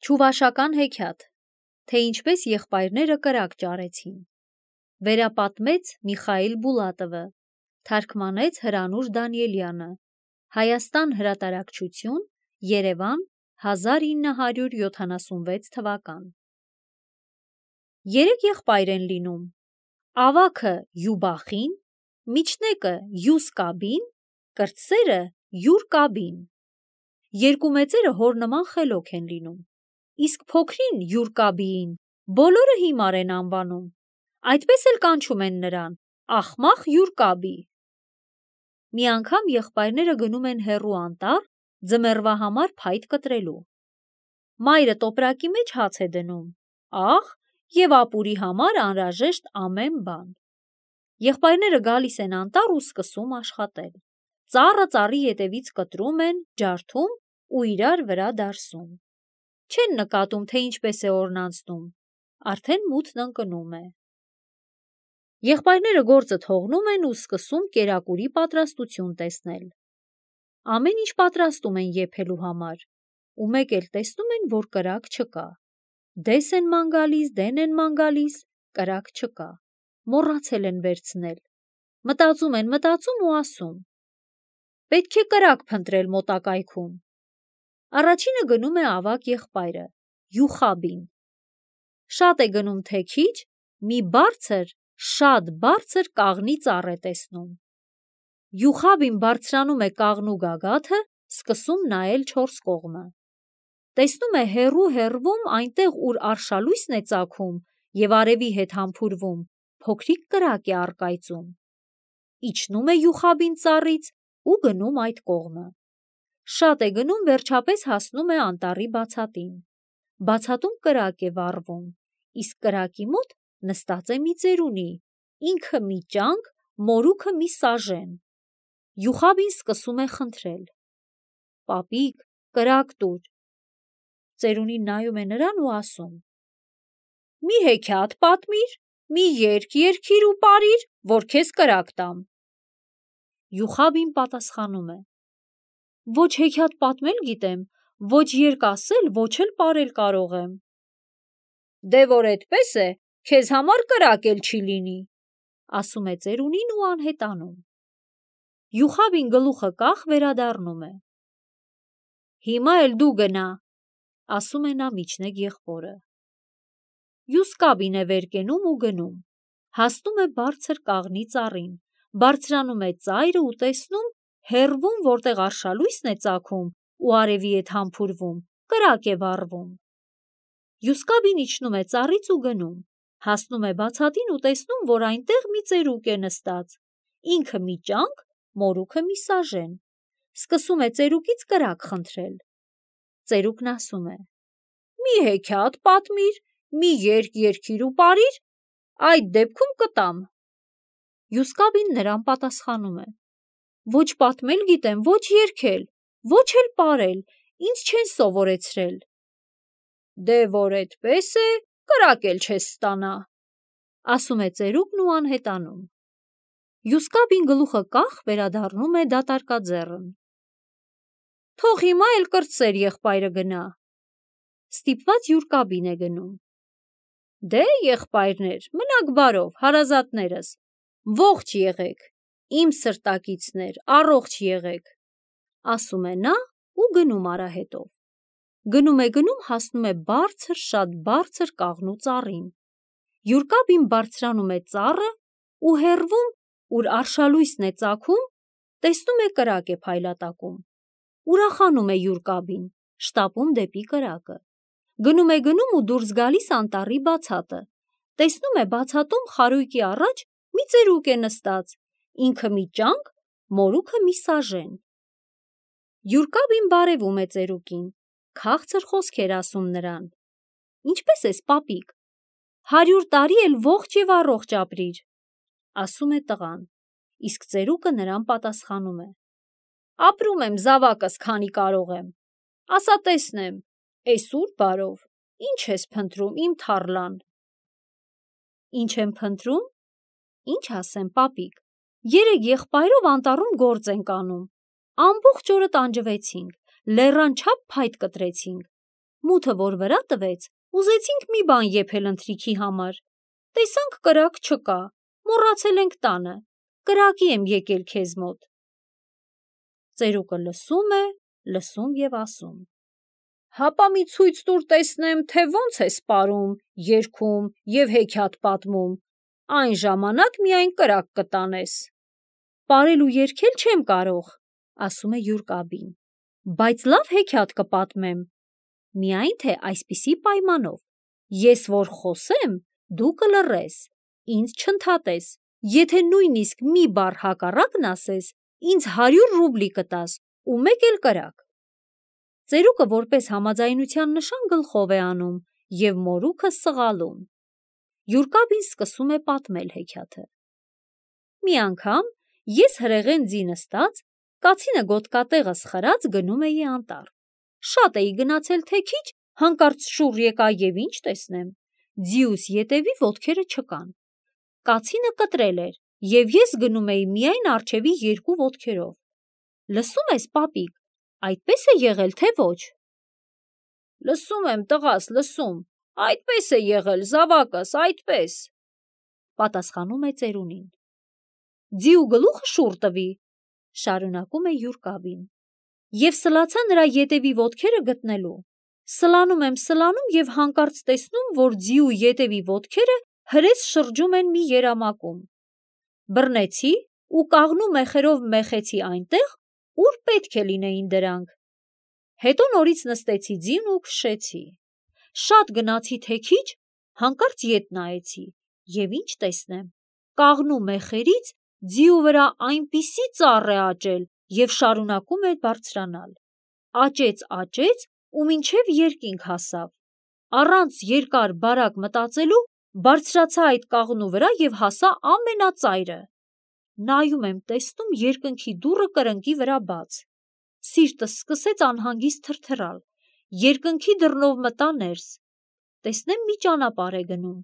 Չուվաշական հեքիաթ, թե ինչպես եղբայրները կրակ ճարեցին։ Վերապատմեց Միխայիլ Բուլատովը, թարգմանեց Հրանուշ Դանիելյանը, Հայաստան հրատարակչություն, Երևան, 1976 թվական։ Երեք եղբայր են լինում, ավագը Յուբախին, միջնեկը Յուսկաբին, կրտսերը Յուրկաբին։ Երկու մեծերը հոր նման խելոք են լինում, իսկ փոքրին Յուրկաբիին բոլորը հիմար են անվանում, այդպես էլ կանչում են նրան Ախմախ Յուրկաբի։ Մի անգամ եղբայրները գնում են հեռու անտառ ձմեռվա համար փայտ կտրելու։ Մայրը տոպրակի մեջ հաց է դնում, աղ և ապուրի համար անհրաժեշտ ամեն բան։ Եղբայրները գալիս են անտառ ու սկսում աշխատել։ Ծառը ծառի ետևից կտրում են, ջարդում ու իրար վրա դարսում։ Չեն նկատում, թե ինչպես է օրն անցնում, արդեն մութն ընկնում է։ Եղբայրները գործը թողնում են ու սկսում կերակուրի պատրաստություն տեսնել։ Ամեն ինչ պատրաստում են եփելու համար, ու մեկ էլ տեսնում են, որ կրակ չկա։ Դես են ման գալիս, դեն են ման գալիս, կրակ չկա, մոռացել են վերցնել։ Մտածում են ու ասում. պետք է կրակ փնտրել մոտակայքում։ Առաջինը գնում է ավագ եղբայրը, Յուխաբին։ Շատ է գնում թե քիչ, մի բարձր, շատ բարձր կաղնի ծառ է տեսնում։ Յուխաբին բարձրանում է կաղնու գագաթը, սկսում նայել չորս կողմը։ Տեսնում է հեռվում այնտեղ, ուր արշալույսն է ծագում և արևի հետ համբուրվում, փոքրիկ կրակ է առկայծում։ Իջնում է Յուխաբին ծառից ու գնում այդ կողմը։ Շատ է գնում, վերջապես հասնում է անտառի բացատին։ Բացատում կրակ է վառվում, իսկ կրակի մոտ նստած է մի ծերունի, ինքը մի ճանք, մորուքը մի սաժեն։ Յուխաբին սկսում է խնդրել. «Պապիկ, կրակ տուր»։ Ծերունին նայում է նրան ու ասում. «Մի հեքիաթ պատմիր, մի երգ երգիր ու պարիր, որ քեզ կրակ տամ»։ Յուխաբին պատասխանում է. «Ոչ հեքիաթ պատմել գիտեմ, ոչ երգ ասել, ոչ էլ պարել կարող եմ»։ «Դե որ էդպես է, քեզ համար կրակ էլ չի լինի», ասում է ծերունին ու անհետանում։ Յուխաբին գլուխը կախ վերադառնում է։ «Հիմա էլ դու գնա», ասում է նա միջնեկ եղբորը։ Յուսկաբին է վեր կենում ու գնում, հասնում է բարձր կաղնի ծառին, բարձրանում է ծայրը ու տեսնում, հեռվում, որտեղ արշալույսն է ծագում ու արևի հետ համբուրվում, կրակ է վառվում։ Յուսկաբին իջնում է ծառից ու գնում, հասնում է բացատին ու տեսնում, որ այնտեղ մի ծերուկ է նստած, ինքը մի ճանք, մորուքը մի սաժեն։ Սկսում է ծերուկից կրակ խնդրել։ Ծերուկն ասում է. «Մի հեքիաթ պատմիր, մի երգ երգիր ու պարիր, այդ դեպքում կտամ»։ Յուսկաբին նրան պատասխանում է. «Ոչ պատմել գիտեմ, ոչ երգել, ոչ էլ պարել, ինձ չեն սովորեցրել»։ «Դե որ էդպես է, կրակ էլ չես ստանա», ասում է ծերուկն ու անհետանում։ Յուսկաբին գլուխը կախ վերադառնում է դատարկաձեռն։ «Թող հիմա էլ կրտսեր եղբայրը գնա»։ Ստիպված Յուրկաբին է գնում։ «Դե եղբայրներ, մնաք բարով, հարազատներս, ողջ եղեք, իմ սրտակիցներ, առողջ եղեք», ասում է նա ու գնում արահետով։ Գնում է, հասնում է բարձր, շատ բարձր կաղնու ծառին։ Յուրկաբին բարձրանում է ծառը ու հեռվում, ուր արշալույսն է ծագում, տեսնում է կրակ է փայլատակում։ Ուրախանում է Յուրկաբին, շտապում դեպի կրակը։ Գնում է ու դուրս գալիս անտառի բացատը։ Տեսնում է բացատում խարույկի առաջ մի ծերուկ է նստած, ինքը մի ճանք, մորուքը մի սաժեն։ Յուրկաբին բարևում է ծերուկին, քաղցր խոսքեր ասում նրան. «Ինչպե՞ս ես, պապիկ, 100 տարի էլ ողջ և առողջ ապրիր», ասում է տղան, իսկ ծերուկը նրան պատասխանում է. «Ապրում եմ զավակս, քանի կարող եմ, ասա տեսնեմ, էս ուր բարով, ինչ ես փնտրում, իմ թառլան»։ «Ինչ եմ փնտրում, ինչ ասեմ, պապիկ, երեք եղբայրով անտառում գործ ենք անում, ամբողջ օրը տանջվեցինք, լեռան չափ փայտ կտրեցինք, Մութը որ վրա տվեց, ուզեցինք մի բան եփել ընթրիքի համար, տեսանք կրակ չկա, մոռացել ենք տանը, կրակի եմ եկել քեզ մոտ։ Ծերուկը լսում է, լսում և ասում. Հապա մի ցույց տուր տեսնեմ, թե ոնց ես պարում, երգում և հեքիաթ պատմում, այն ժամանակ միայն կրակ կտանես։ Պարել ու երգել չեմ կարող, ասում է Յուր-կաբին, բայց լավ հեքիաթ կպատմեմ, միայն թե այսպիսի պայմանով, ես որ խոսեմ, դու կլռես, ինձ չընդհատես, եթե նույնիսկ մի բառ հակառակն ասես, ինձ 100 ռուբլի կտաս ու մեկ էլ կրակ։ Ծերուկը որպես համաձայնության նշան գլխով է անում և մորուքը սղալում։ Յուր-կաբին սկսում է պատմել հեքիաթը։ Մի անգամ ես հրեղեն ձի նստած, կացինը գոտկատեղս խրած գնում էի անտառ։ Շատ էի գնացել թե քիչ, հանկարծ շուռ եկա և ինչ տեսնեմ, ձիուս ետևի ոտքերը չկան։ Կացինը կտրել էր, և ես գնում էի միայն առջևի 2 ոտքերով։ Լսում ես, պապիկ, այդպես է եղել, թե ոչ։ Լսում եմ, տղաս, լսում, այդպես է եղել, զավակս, այդպես, պատասխանում է ծերունին։ Ձիու գլուխը շուռ տվի, շարունակում է Յուր-կաբին, և սլացա նրա ետևի ոտքերը գտնելու։ Սլանում և հանկարծ տեսնում, որ ձիու ետևի ոտքերը հրես շրջում են մի երամակում։ Բռնեցի ու կաղնու մեխերով մեխեցի այնտեղ, ուր պետք է լինեին դրանք։ Հետո նորից նստեցի ձին ու քշեցի։ Շատ գնացի թե քիչ, հանկարծ ետ նայեցի և ինչ տեսնեմ, կաղնու մեխերից ձիու վրա այնպիսի ծառ է աճել և շարունակում է բարձրանալ։ Աճեց ու մինչև երկինք հասավ։ Առանց երկար բարակ մտածելու բարձրացա այդ կաղնու վրա և հասա ամենածայրը։ Նայում եմ, տեսնում երկնքի դուռը կրկնակի վրա բաց։ Սիրտս սկսեց անհանգիստ թրթռալ, երկնքի դռնով մտա ներս, տեսնեմ մի ճանապարհ է գնում։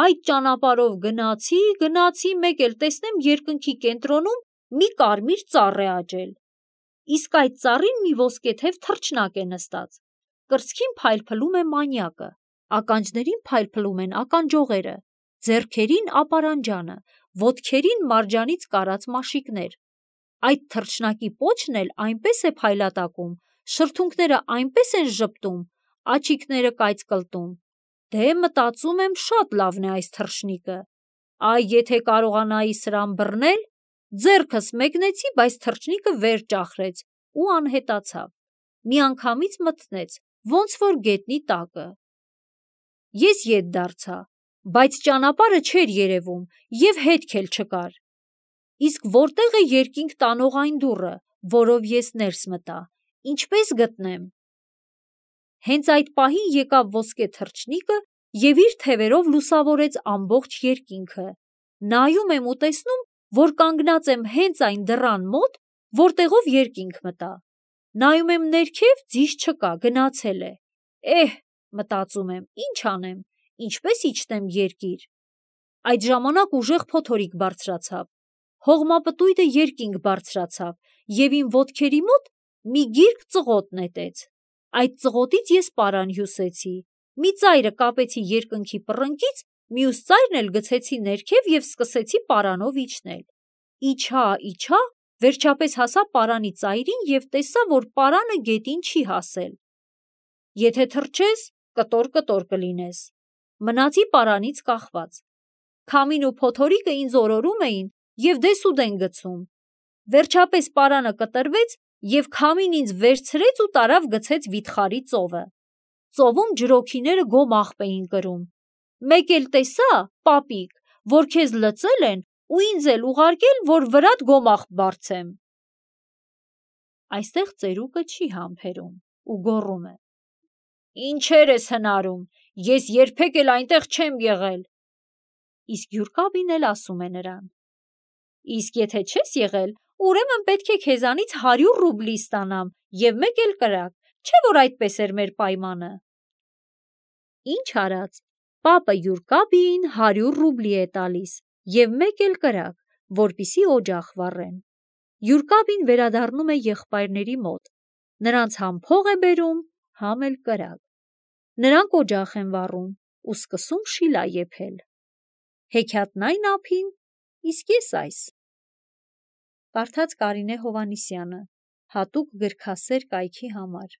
Այդ ճանապարհով գնացի, մեկ էլ տեսնեմ երկնքի կենտրոնում մի կարմիր ծառ է աճել։ Իսկ այդ ծառին մի ոսկեթև թռչնակ է նստած, կրծքին փայլփլում է մանյակը, ականջներին փայլփլում են ականջողերը, ձեռքերին ապարանջանը, ոտքերին մարջանից կարած մաշիկներ։ Այդ թռչնակի պոչն էլ այնպես է փայլատակում, շրթունքները այնպես են ժպտում, աչիկները կայծկլտում։ Դե մտածում եմ, շատ լավն է այս թռչնիկը։ Այ եթե կարողանայի սրան բռնել, ձեռքս մեկնեցի, բայց թռչնիկը վեր ճախրեց ու անհետացավ։ Միանգամից մթնեց, ոնց որ գետնի տակը։ Ես ետ դարձա, բայց ճանապարհը չէր երևում և հետք էլ չկար։ Իսկ որտե՞ղ է երկինք տանող այն դուռը, որով ես ներս մտա, ինչպե՞ս գտնեմ։ Հենց այդ պահին եկավ ոսկե թռչնիկը և իր թևերով լուսավորեց ամբողջ երկինքը։ Նայում եմ ու տեսնում, որ կանգնած եմ հենց այն դռան մոտ, որտեղով երկինք մտա։ Նայում եմ ներքև, ձիզ չկա, գնացել է։ Մտածում եմ, ինչ անեմ, ինչպես իջնեմ երկիր։ Այդ ժամանակ ուժեղ փոթորիկ բարձրացավ, հողմապտույտը երկինք բարձրացավ և իմ ոտքերի մոտ մի գիրք ծղոտ նետեց։ Այդ ծղոտից ես պարան հյուսեցի, մի ծայրը կապեցի երկնքի պռնկից, մյուս ծայրն էլ գցեցի ներքև և սկսեցի պարանով իջնել։ Իջա, վերջապես հասա պարանի ծայրին և տեսա, որ պարանը գետին չի հասել։ Եթե թռչես, կտոր կլինես։ Մնացի պարանից կախված։ Քամին ու փոթորիկը ինձ օրորում էին և դեսուդեն գցում։ Վերջապես պարանը կտրվեց և քամին ինձ վերցրեց ու տարավ գցեց վիթխարի ծովը։ Ծովում ջրօգիները գոմ աղբ էին կրում։ Մեկ էլ տեսա, պապիկ, որ քեզ լծել են ու ինձ էլ ուղարկել, որ վրատ գոմ աղբ բարձեմ։ Այստեղ ծերուկը չի համբերում ու գոռում է. Ինչեր ես հնարում, ես երբեք էլ այնտեղ չեմ եղել։ Իսկ Յուր-կաբին էլ ասում է նրան. Իսկ եթե չես եղել, ուրեմն պետք է քեզանից 100 ռուբլի ստանամ և մեկ էլ կրակ, չէ՞ որ այդպես էր մեր պայմանը։ Ինչ արած, պապը Յուր-կաբիին 100 ռուբլի է տալիս և մեկ էլ կրակ, որպեսզի օջախ վառեն։ Յուր-կաբին վերադառնում է եղբայրների մոտ, նրանց համ փող է բերում, համ էլ կրակ։ Նրանք օջախ են վառում ու սկսում շիլա եփել։ Հեքիաթն այն ափին, իսկ ես այս։ Կարդաց Կարինե Հովհաննիսյանը, հատուկ գրքասեր կայքի համար։